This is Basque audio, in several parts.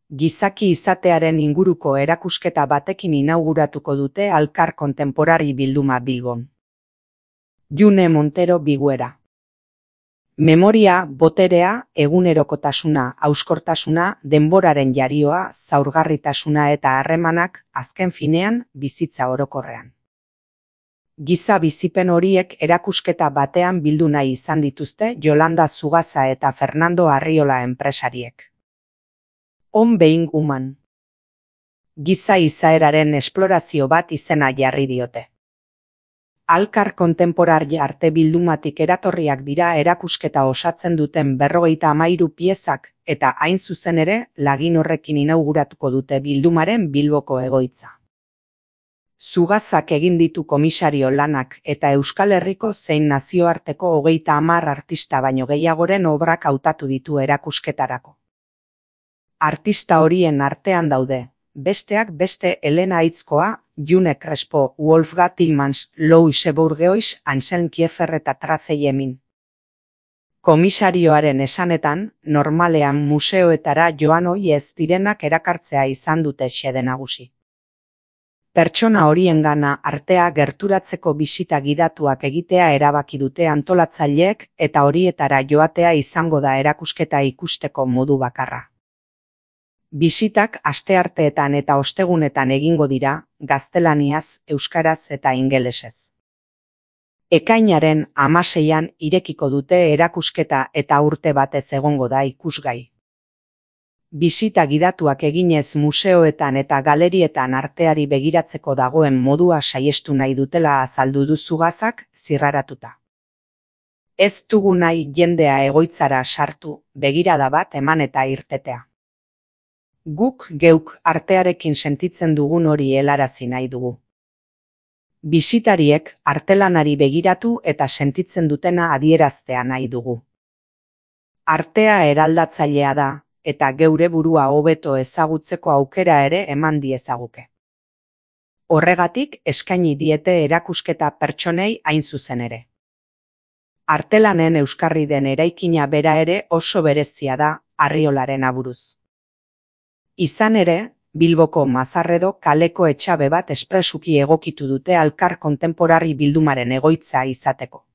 Gizaki izatearen inguruko erakusketa batekin inauguratuko dute Alkar Kontenporari bilduma Bilbon. June Montero Biguera. Memoria, boterea, egunerokotasuna, hauskortasuna, denboraren jarioa, zaurgarritasuna eta harremanak, azken finean, bizitza orokorrean. Giza bizipen horiek erakusketa batean bildu nahi izan dituzte Yolanda Zugaza eta Fernando Arriola enpresariek. On Being Human. Giza izaeraren esplorazio bat izena jarri diote. Alkar Kontenporari arte bildumatik eratorriak dira erakusketa osatzen duten 53 piezak eta hain zuzen ere lagin horrekin inauguratuko dute bildumaren Bilboko egoitza. Zugazak egin ditu komisario lanak eta Euskal Herriko zein nazioarteko 30 artista baino gehiagoren obrak hautatu ditu erakusketarako. Artista horien artean daude, besteak beste Elena Aitzkoa, June Crespo, Wolfgang Tillmans, Louis Bourgeois, Anselm Kiefer eta Tracey Emin. Komisarioaren esanetan, normalean museoetara joan ohi ez direnak erakartzea izan dute xede nagusi. Pertsona horiengana artea gerturatzeko bisita gidatuak egitea erabaki dute antolatzaileek eta horietara joatea izango da erakusketa ikusteko modu bakarra. Bisitak astearteetan eta ostegunetan egingo dira, gaztelaniaz, euskaraz eta ingelesez. Ekainaren 16an irekiko dute erakusketa eta urte batez egongo da ikusgai. Bisita gidatuak eginez museoetan eta galerietan arteari begiratzeko dagoen modua saiestu nahi dutela azaldu du Zugazak zirraratuta. Ez dugu nahi jendea egoitzara sartu, begirada bat eman eta irtetea. Guk geuk artearekin sentitzen dugun hori helarazi nahi dugu. Bisitariek artelanari begiratu eta sentitzen dutena adieraztea nahi dugu. Artea eraldatzailea da, eta geure burua hobeto ezagutzeko aukera ere eman diezaguke. Horregatik eskaini diete erakusketa pertsonei hain zuzen ere. Artelanen euskarri den eraikina bera ere oso berezia da Arriolaren aburuz. Izan ere, Bilboko Mazarredo kaleko etxabe bat espresuki egokitu dute Alkar Kontenporari bildumaren egoitza izateko.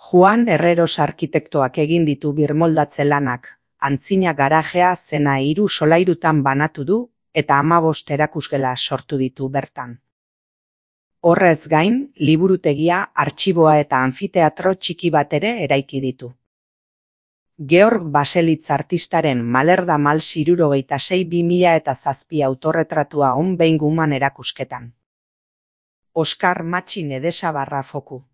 Juan Herreros arkitektoak egin ditu birmoldatze lanak, antzina garajea zena 3 solairutan banatu du eta 15 erakusgela sortu ditu bertan. Horrez gain, liburutegia, artxiboa eta anfiteatro txiki bat ere eraiki ditu. Georg Baselitz artistaren Malerda Mal 66-2007 autorretratua On Being Human erakusketan. Oskar Matxin Edesabarra foku.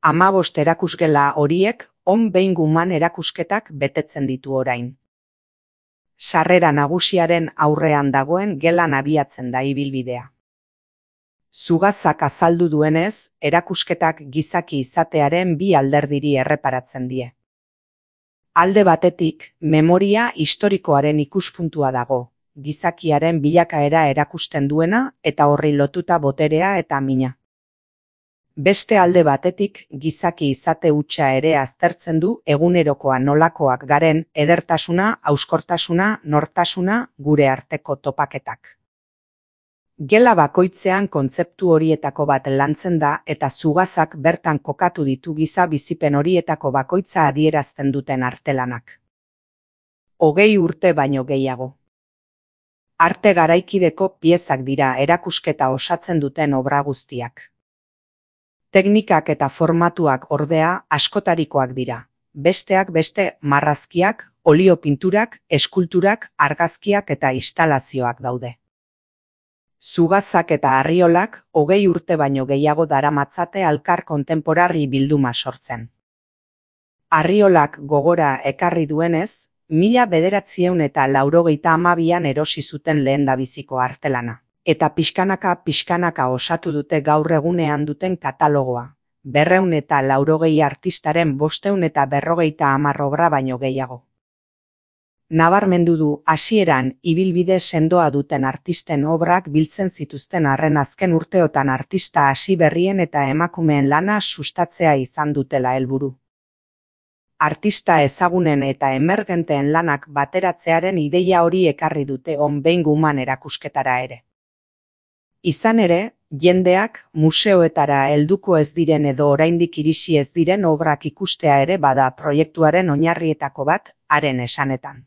15 erakusgela horiek On Being Human erakusketak betetzen ditu orain. Sarrera nagusiaren aurrean dagoen gelan abiatzen da ibilbidea. Zugazak azaldu duenez, erakusketak gizaki izatearen 2 alderdiri erreparatzen die. Alde batetik, memoria historikoaren ikuspuntua dago, gizakiaren bilakaera erakusten duena eta horri lotuta boterea eta mina. Beste alde batetik, gizaki izate hutsa ere aztertzen du egunerokoa nolakoak garen edertasuna, hauskortasuna, nortasuna, gure arteko topaketak. Gela bakoitzean kontzeptu horietako bat lantzen da eta Zugazak bertan kokatu ditu giza bizipen horietako bakoitza adierazten duten artelanak. 20 urte baino gehiago. Arte garaikideko piezak dira erakusketa osatzen duten obra guztiak. Teknikak eta formatuak ordea askotarikoak dira. Besteak beste marrazkiak, olio pinturak, eskulturak, argazkiak eta instalazioak daude. Zugazak eta Arriolak 20 urte baino gehiago daramatzate Alkar Kontenporari bilduma sortzen. Arriolak gogora ekarri duenez, 1982an erosi zuten lehendabiziko artelana, eta pixkanaka osatu dute gaur egunean duten katalogoa, 280 artistaren 550 obra baino gehiago. Nabarmendu du hasieran ibilbide sendoa duten artisten obrak biltzen zituzten arren azken urteotan artista hasi berrien eta emakumeen lana sustatzea izan dutela helburu. Artista ezagunen eta emergenteen lanak bateratzearen ideia hori ekarri dute On Being Human erakusketara ere. Izan ere, jendeak museoetara helduko ez diren edo oraindik irisi ez diren obrak ikustea ere bada proiektuaren oinarrietako bat haren esanetan.